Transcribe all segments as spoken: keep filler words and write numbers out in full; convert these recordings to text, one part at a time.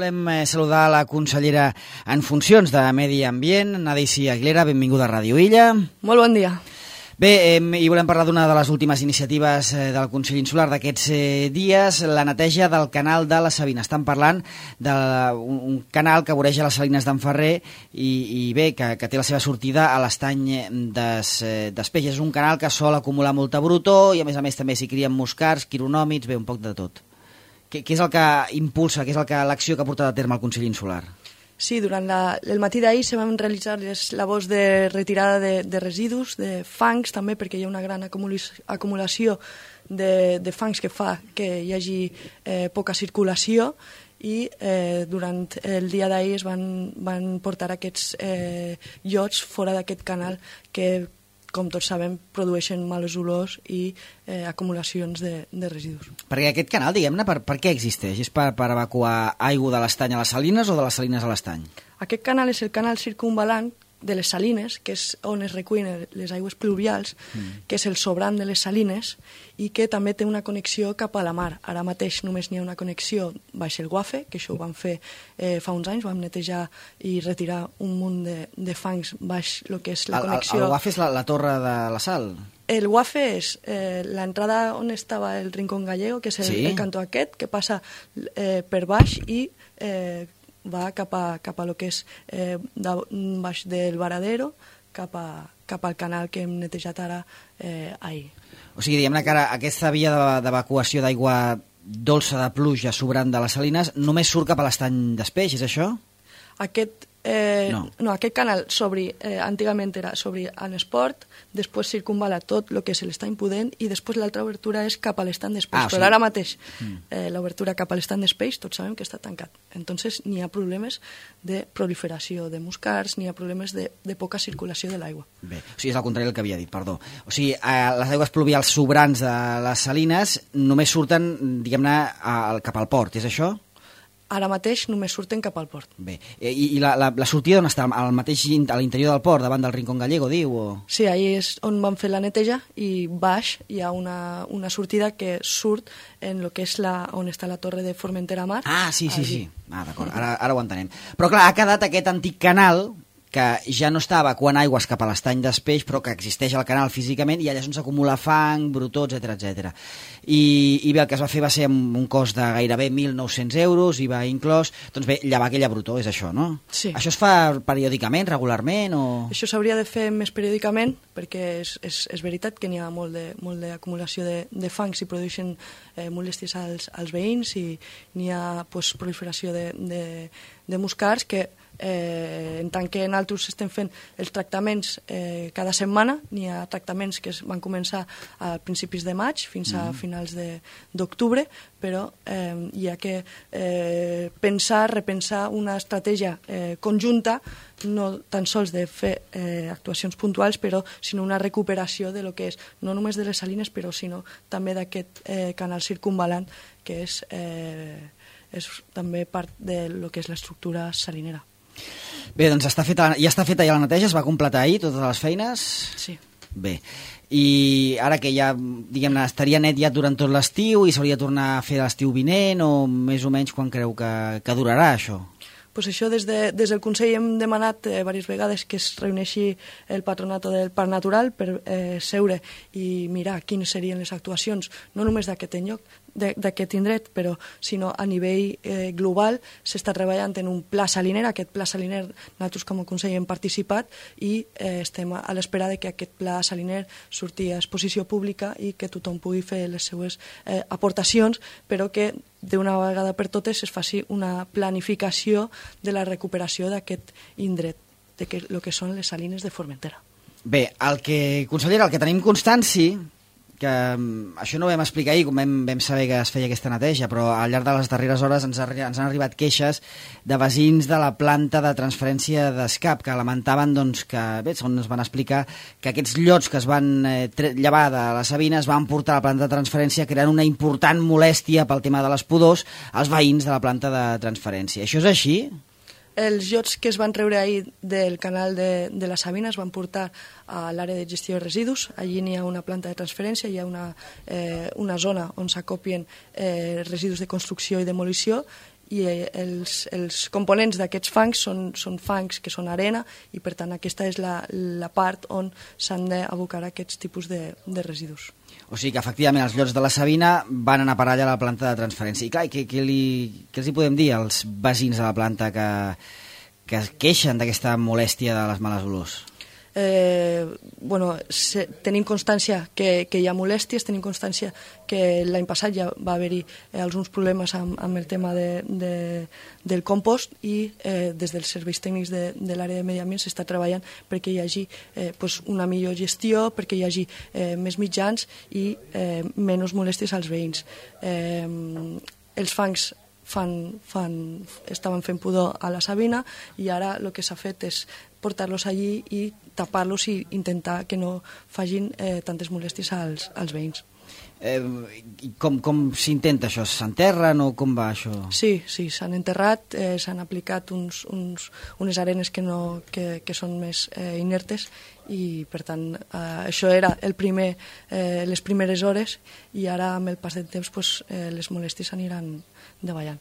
volem saludar la consellera en funcions de Medi Ambient, Nadeici Aguilera, benvinguda a Ràdio Illa. Molt bon dia. Bé, eh, i volem parlar d'una de les últimes iniciatives eh, del Consell Insular d'aquests eh, dies, la neteja del canal de la Sabina. Estan parlant d'un un canal que voreja les Salines d'en Ferrer i, i bé, que, que té la seva sortida a l'estany des, eh, d'Espeix. És un canal que sol acumular molta brutor i a més a més també s'hi crien muscars, quironòmids, bé, un poc de tot. Què, què és el que impulsa, què és el que l'acció que ha portat a terme el Consell Insular? Sí, durant la, el matí d'ahir se van realitzar les labors de retirada de, de residus, de fangs també, perquè hi ha una gran acumulació de, de fangs que fa que hi hagi eh, poca circulació i eh, durant el dia d'ahir es van, van portar aquests eh, llots fora d'aquest canal que, com tots sabem, produeixen males olors i eh, acumulacions de, de residus. Perquè aquest canal, diguem-ne, per, per què existeix? És per, per evacuar aigua de l'estany a les Salines o de les Salines a l'estany? Aquest canal és el canal circumvalant de les Salines, que és on es recullen les aigües pluvials, mm. que és el sobrant de les Salines, i que també té una connexió cap a la mar. Ara mateix només n'hi ha una connexió baix el Guafe, que això ho vam fer eh, fa uns anys, vam netejar i retirar un munt de, de fangs baix el que és la el, connexió... El, el Guafe és la, la torre de la Sal? El Guafe és eh, l'entrada on estava el Rincón Gallego, que és el, sí? el cantó aquest, que passa eh, per baix i... Eh, va cap a, cap a lo que és eh, de, baix del Varadero, cap, a, cap al canal que hem netejat ara eh, ahir. O sigui, diguem-ne que ara aquesta via d'evacuació d'aigua dolça de pluja sobrant de les Salines només surt cap a l'estany d'Espeix, és això? Aquest, eh, no. no, aquest canal s'obri, eh, antigament era s'obri en esport, després circunvala tot el que és l'estany Pudent i després l'altra obertura és cap a l'estany d'Espeix. Ah, però sí. Ara mateix mm. eh, l'obertura cap a l'estany d'Espeix tots sabem que està tancat. Entonces n'hi ha problemes de proliferació de muscars, n'hi ha problemes de, de poca circulació de l'aigua. Bé, o sigui, és al contrari del que havia dit, perdó. O sigui, eh, les aigües pluvials sobrants de les Salines només surten, diguem-ne, cap al port, és això? Ara mateix només surten cap al port. Bé, i, i la, la, la sortida on està? Al mateix, a l'interior del port, davant del Rincón Gallego, diu? O... Sí, ahir és on vam fer la neteja i baix hi ha una, una sortida que surt en lo que és la, on està la torre de Formentera Mar. Ah, sí, sí, allí. sí. Ah, d'acord, ara, ara ho entenem. Però clar, ha quedat aquest antic canal que ja no està evacuant aigües cap a l'estany d'Espeix, però que existeix al canal físicament, i allà és on s'acumula fang, brutó, etcètera, etcètera. I, I bé, el que es va fer va ser amb un cost de gairebé mil nou-cents euros, i va inclòs, doncs bé, llevar aquella brutó, és això, no? Sí. Això es fa periòdicament, regularment, o...? Això s'hauria de fer més periòdicament, perquè és, és, és veritat que n'hi ha molt de, molt d'acumulació de, de fangs i produeixen eh, molèsties als, als veïns, i n'hi ha pues, proliferació de, de, de muscars que Eh, en tant que nosaltres estem fent els tractaments eh, cada setmana, n'hi ha tractaments que es van començar a principis de maig fins a mm. finals d'octubre, però eh, hi ha que eh, pensar, repensar una estratègia eh, conjunta, no tan sols de fer eh, actuacions puntuals, però sinó una recuperació de lo que és, no només de les Salines, però sinó també d'aquest eh, canal circunvalant que és, eh, és també part de lo que és l'estructura salinera. Bé, doncs està feta, ja està feta ja la neteja, es va completar ahir totes les feines? Sí. Bé, i ara que ja, diguem-ne, estaria net ja durant tot l'estiu i s'hauria de tornar a fer l'estiu vinent, o més o menys quan creu que, que durarà això? Pues això, des, de, des del Consell hem demanat eh, diverses vegades que es reuneixi el patronato del Parc Natural per eh, seure i mirar quines serien les actuacions, no només d'aquest lloc, d'aquest indret, però sinó a nivell eh, global. S'està treballant en un pla saliner. Aquest pla saliner nosaltres com a Consell hem participat i eh, estem a l'espera de que aquest pla saliner surti a exposició pública i que tothom pugui fer les seues eh, aportacions, però que d'una vegada per totes es faci una planificació de la recuperació d'aquest indret, de que, el que són les Salines de Formentera. Bé, el que, consellera, el que tenim constància, que um, això no ho vam explicar ahir, com vam, vam saber que es feia aquesta neteja, però al llarg de les darreres hores ens, ha, ens han arribat queixes de veïns de la planta de transferència d'Escap, que lamentaven doncs, que, bé, segons ens van explicar, que aquests llots que es van eh, llevar de la Sabina es van portar a la planta de transferència, creant una important molèstia pel tema de les pudors als veïns de la planta de transferència. Això és així? Els llots que es van treure ahir del canal de, de la Sabina es van portar a l'àrea de gestió de residus. Allí n'hi ha una planta de transferència, hi ha una, eh, una zona on s'acopien eh, residus de construcció i demolició, i els, els components d'aquests fangs són, són fangs que són arena i per tant aquesta és la, la part on s'han d'abocar aquests tipus de, de residus. O sigui que efectivament els llots de la Sabina van anar a parar allà a la planta de transferència. I clar, què, què, li, què els hi podem dir als veïns de la planta que, que es queixen d'aquesta molèstia de les males olors? Eh, bueno, se, tenim constància que, que hi ha molèsties, tenim constància que l'any passat ja va haver-hi eh, alguns problemes amb, amb el tema de, de, del compost i eh, des dels serveis tècnics de, de l'àrea de medi ambient s'està treballant perquè hi hagi eh, pues una millor gestió, perquè hi hagi eh, més mitjans i eh, menys molèsties als veïns. Eh, els fangs Fan, fan, estaven fent pudor a la Sabina i ara el que s'ha fet és portar-los allí i tapar-los i intentar que no facin eh, tantes molèsties als, als veïns. Eh, com com s'intenta això? S'enterren o com va això? Sí, sí, s'han enterrat, eh, s'han aplicat uns, uns, unes arenes que, no, que, que són més eh, inertes i per tant eh, això era el primer, eh, les primeres hores i ara amb el pas del temps pues, eh, les molèsties aniran davallant.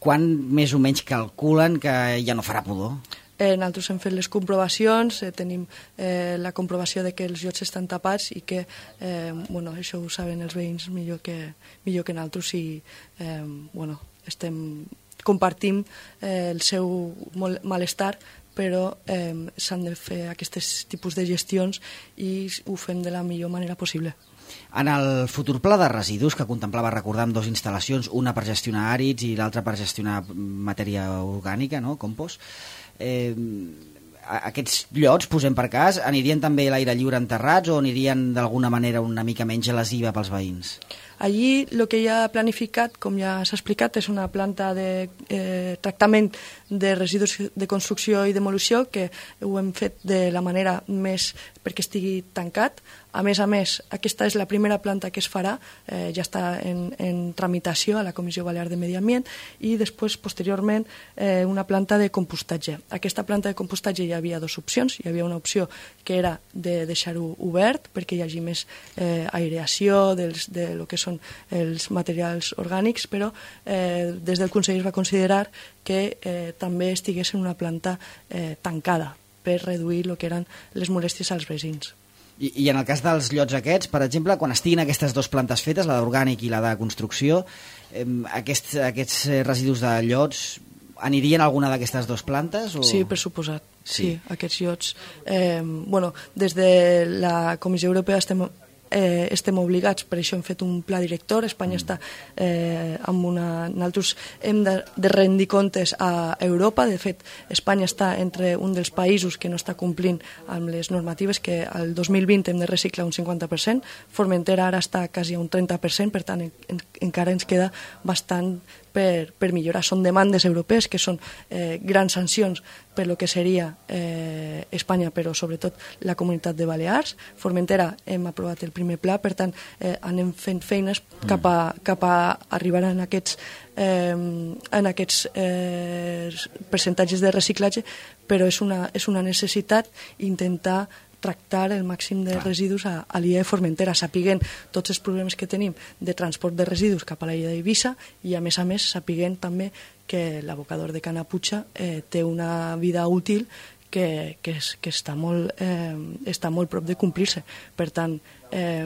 Quan més o menys calculen que ja no farà pudor? Eh, nosaltres hem fet les comprovacions, eh, tenim eh, la comprovació de que els llots estan tapats i que, eh, bueno, això ho saben els veïns millor que, millor que nosaltres i, eh, bueno, estem, compartim eh, el seu malestar, però eh, s'han de fer aquests tipus de gestions i ho fem de la millor manera possible. En el futur pla de residus que contemplava, recordar, amb dues instal·lacions, una per gestionar àrids i l'altra per gestionar matèria orgànica, no? Compost, eh, aquests llots, posem per cas, anirien també a l'aire lliure enterrats o anirien d'alguna manera una mica menys lesiva pels veïns? Allí el que hi ha planificat, com ja s'ha explicat, és una planta de eh, tractament de residus de construcció i demolició que ho hem fet de la manera més perquè estigui tancat. A més a més, aquesta és la primera planta que es farà, eh, ja està en, en tramitació a la Comissió Balear de Medi Ambient i després, posteriorment, eh, una planta de compostatge. Aquesta planta de compostatge hi havia dues opcions. Hi havia una opció que era de deixar-ho obert perquè hi hagi més eh, aireació dels, de lo que són els materials orgànics, però eh, des del Consell es va considerar que eh, també estigués en una planta eh, tancada per reduir el que eren les molèsties als veïns. I, I en el cas dels llots aquests, per exemple, quan estiguin aquestes dues plantes fetes, la d'orgànic i la de construcció, eh, aquests, aquests residus de llots anirien a alguna d'aquestes dues plantes? O... Sí, per suposat. Sí, sí aquests llots. Eh, bueno, des de la Comissió Europea estem eh, estem obligats, per això hem fet un pla director. Espanya mm. està eh, amb una... Nosaltres hem de, de rendir comptes a Europa. De fet, Espanya està entre un dels països que no està complint amb les normatives, que al dos mil vint hem de reciclar un cinquanta per cent. Formentera ara està quasi a un trenta per cent, per tant, en, en, encara ens queda bastant per, per millorar. Són demandes europees que són eh, grans sancions per lo que seria eh, Espanya, però sobretot la Comunitat de Balears. Formentera hem aprovat el primer pla, per tant eh, anem fent feines cap a, cap a arribar en aquests, eh, en aquests eh, percentatges de reciclatge, però és una, és una necessitat intentar tractar el màxim de residus a, a l'illa de Formentera, sapiguent tots els problemes que tenim de transport de residus cap a l'illa d'Eivissa i, a més a més, sapiguent també que l'abocador de Canapucha eh, té una vida útil que, que, és, que està, molt, eh, està molt prop de complir-se. Per tant, eh,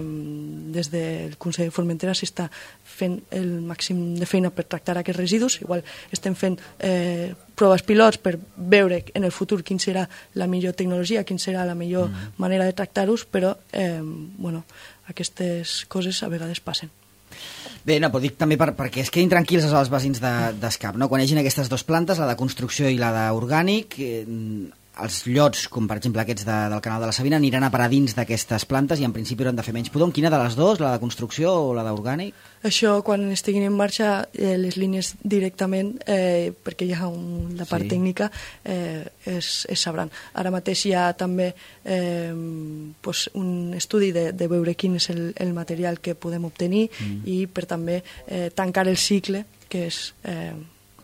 des del Consell de Formentera s'està fent el màxim de feina per tractar aquests residus. Igual estem fent eh, proves pilots per veure en el futur quina serà la millor tecnologia, quina serà la millor mm. manera de tractar-los, però eh, bueno, aquestes coses a vegades passen. Bé, no, però dic també per, perquè es quedin tranquils els veïns d'Escap, no? Quan hi hagin aquestes dues plantes, la de construcció i la d'orgànic, eh, els llots, com per exemple aquests de, del canal de la Sabina, aniran a parar dins d'aquestes plantes i en principi hauran de fer menys pudor. Quina de les dues, la de construcció o la d'orgànic? Això, quan estiguin en marxa, eh, les línies directament, eh, perquè hi ha un, la part sí. tècnica, eh, es, es sabran. Ara mateix hi ha també eh, pues un estudi de, de veure quin és el, el material que podem obtenir mm. i per també eh, tancar el cicle, que és... Eh,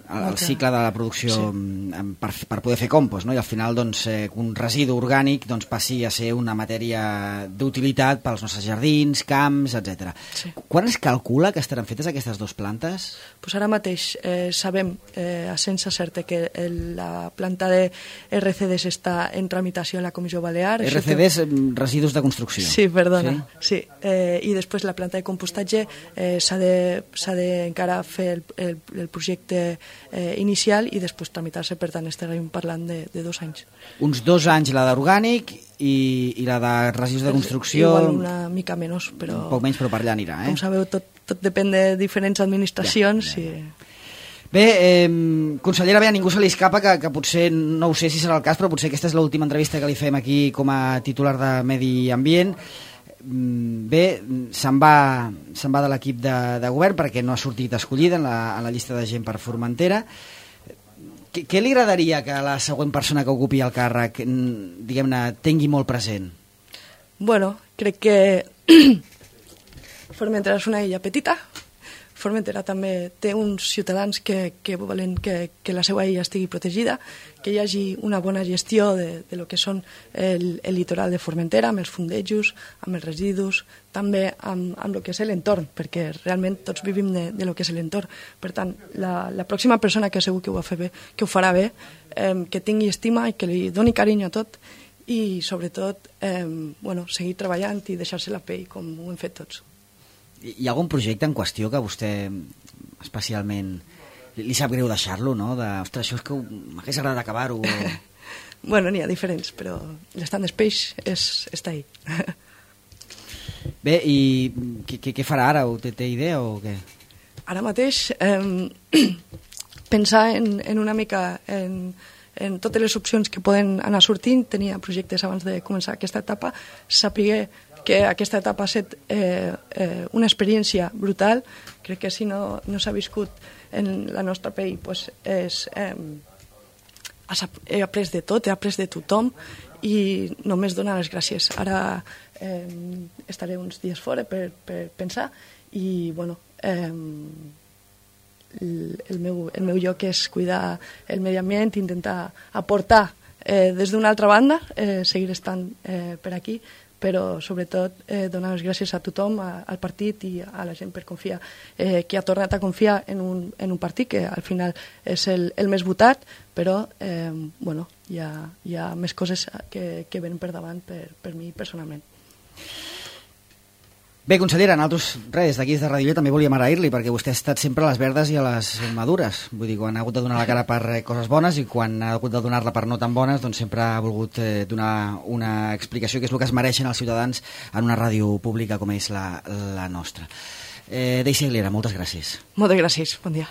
el, el cicle de la producció sí. per, per poder fer compost, no? I al final doncs, eh, un residu orgànic doncs, passi a ser una matèria d'utilitat pels nostres jardins, camps, etcètera. Sí. Quan es calcula que estaran fetes aquestes dues plantes? Pues ara mateix eh, sabem eh, a sense certa que el, la planta de R C Ds està en tramitació a la Comissió Balear. R C Ds, que... residus de construcció. Sí, perdona. Sí? Sí. Eh, I després la planta de compostatge eh, s'ha de, s'ha de encara fer el, el, el projecte eh, inicial i després tramitar-se, per tant estarem parlant de, de dos anys. Uns dos anys la d'orgànic i, i la de residus de construcció... Igual una mica menys, però... Un poc menys, però per allà anirà, eh? Com sabeu, tot, tot depèn de diferents administracions. Ja, ja, ja. I... Bé, eh, consellera, bé, a ningú se li escapa que, que potser, no ho sé si serà el cas, però potser aquesta és l'última entrevista que li fem aquí com a titular de Medi Ambient. Bé, se'n va, se'n va de l'equip de, de govern perquè no ha sortit escollida en la, en la llista de gent per Formentera. Què, què li agradaria que la següent persona que ocupi el càrrec, diguem-ne, tingui molt present? Bueno, crec que Formentera és una illa petita. Formentera també té uns ciutadans que, que volen que, que la seva illa estigui protegida, que hi hagi una bona gestió de, de lo que són el, el litoral de Formentera, amb els fondejos, amb els residus, també amb, amb lo que és l'entorn, perquè realment tots vivim de, de lo que és l'entorn. Per tant, la, la pròxima persona que segur que ho, fa bé, que ho farà bé, eh, que tingui estima i que li doni carinyo a tot, i sobretot eh, bueno, seguir treballant i deixar-se la pell com ho hem fet tots. Hi ha algun projecte en qüestió que vostè especialment li sap greu deixar-lo, no? De, ostres, això és que m'hagués agradat acabar-ho. Bueno, n'hi ha diferents, però l'Stand Space és, està ahí. Bé, i què, què farà ara? Té, té idea o què? Ara mateix eh, pensar en, en una mica en, en totes les opcions que poden anar sortint. Tenia projectes abans de començar aquesta etapa, saber que aquesta etapa ha estat eh, eh, una experiència brutal. Crec que si no, no s'ha viscut en la nostra pell, pues és, eh, he après de tot, he après de tothom i només donar les gràcies. Ara eh, estaré uns dies fora per, per pensar i bueno, eh, el, el, meu, el meu lloc és cuidar el medi ambient, intentar aportar eh, des d'una altra banda, eh, seguir estant eh, per aquí, però sobretot eh, donar les gràcies a tothom, a, al partit i a la gent per confiar, eh, que ha tornat a confiar en un, en un partit que al final és el, el més votat, però eh, bueno, hi ha, hi ha més coses que, que venen per davant per, per mi personalment. Bé, consellera, nosaltres, res, des d'aquí, des de Ràdio, també volíem agrair-li, perquè vostè ha estat sempre a les verdes i a les madures. Vull dir, quan ha hagut de donar la cara per coses bones i quan ha hagut de donar-la per no tan bones, doncs sempre ha volgut eh, donar una explicació, que és el que es mereixen els ciutadans en una ràdio pública com és la, la nostra. Eh, Daisy Aguilera, moltes gràcies. Moltes gràcies, bon dia.